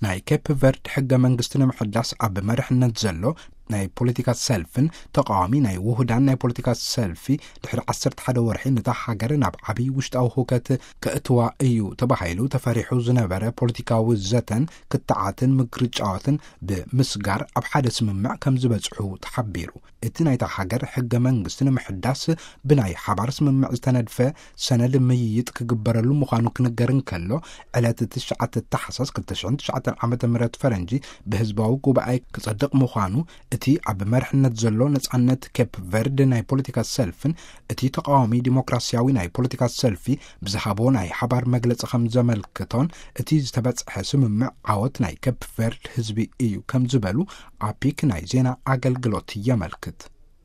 ናይ ኬፕ ቨርድ ሕገ መንግስቲ ንምሕዳስ ኣብ መርሕነት ዘሎ ናይ ፖለቲካ ሰልፍን ተቃዋሚ ናይ ውሁዳን ናይ ፖለቲካ ሰልፊ ድሕሪ ዓሰርተ ሓደ ወርሒ ነታ ሃገር ናብ ዓብዪ ውሽጣዊ ሁከት ከእትዋ እዩ ተባሂሉ ተፈሪሑ ዝነበረ ፖለቲካዊ ዘተን ክትዓትን ምግርጫዋትን ብምስጋር ኣብ ሓደ ስምምዕ ከም ዝበጽሑ ተሓቢሩ። እቲ ናይታ ሃገር ሕገ መንግስቲ ንምሕዳስ ብናይ ሓባር ስምምዕ ዝተነድፈ ሰነድ ምይይጥ ክግበረሉ ምዃኑ ክንገር እንከሎ፣ ዕለት ትሽዓተ ታሕሳስ ክልተ ሽሕን ትሽዓተን ዓመተ ምህረት ፈረንጂ ብህዝባዊ ጉባኤ ክጸድቕ ምዃኑ እቲ ኣብ መርሕነት ዘሎ ነጻነት ኬፕ ቨርድ ናይ ፖለቲካ ሰልፍን እቲ ተቃዋሚ ዲሞክራሲያዊ ናይ ፖለቲካ ሰልፊ ብዝሃቦ ናይ ሓባር መግለጺ ከም ዘመልክቶን፣ እቲ ዝተበጽሐ ስምምዕ ዓወት ናይ ኬፕ ቨርድ ህዝቢ እዩ ከም ዝበሉ ኣፒክ ናይ ዜና ኣገልግሎት የመልክት።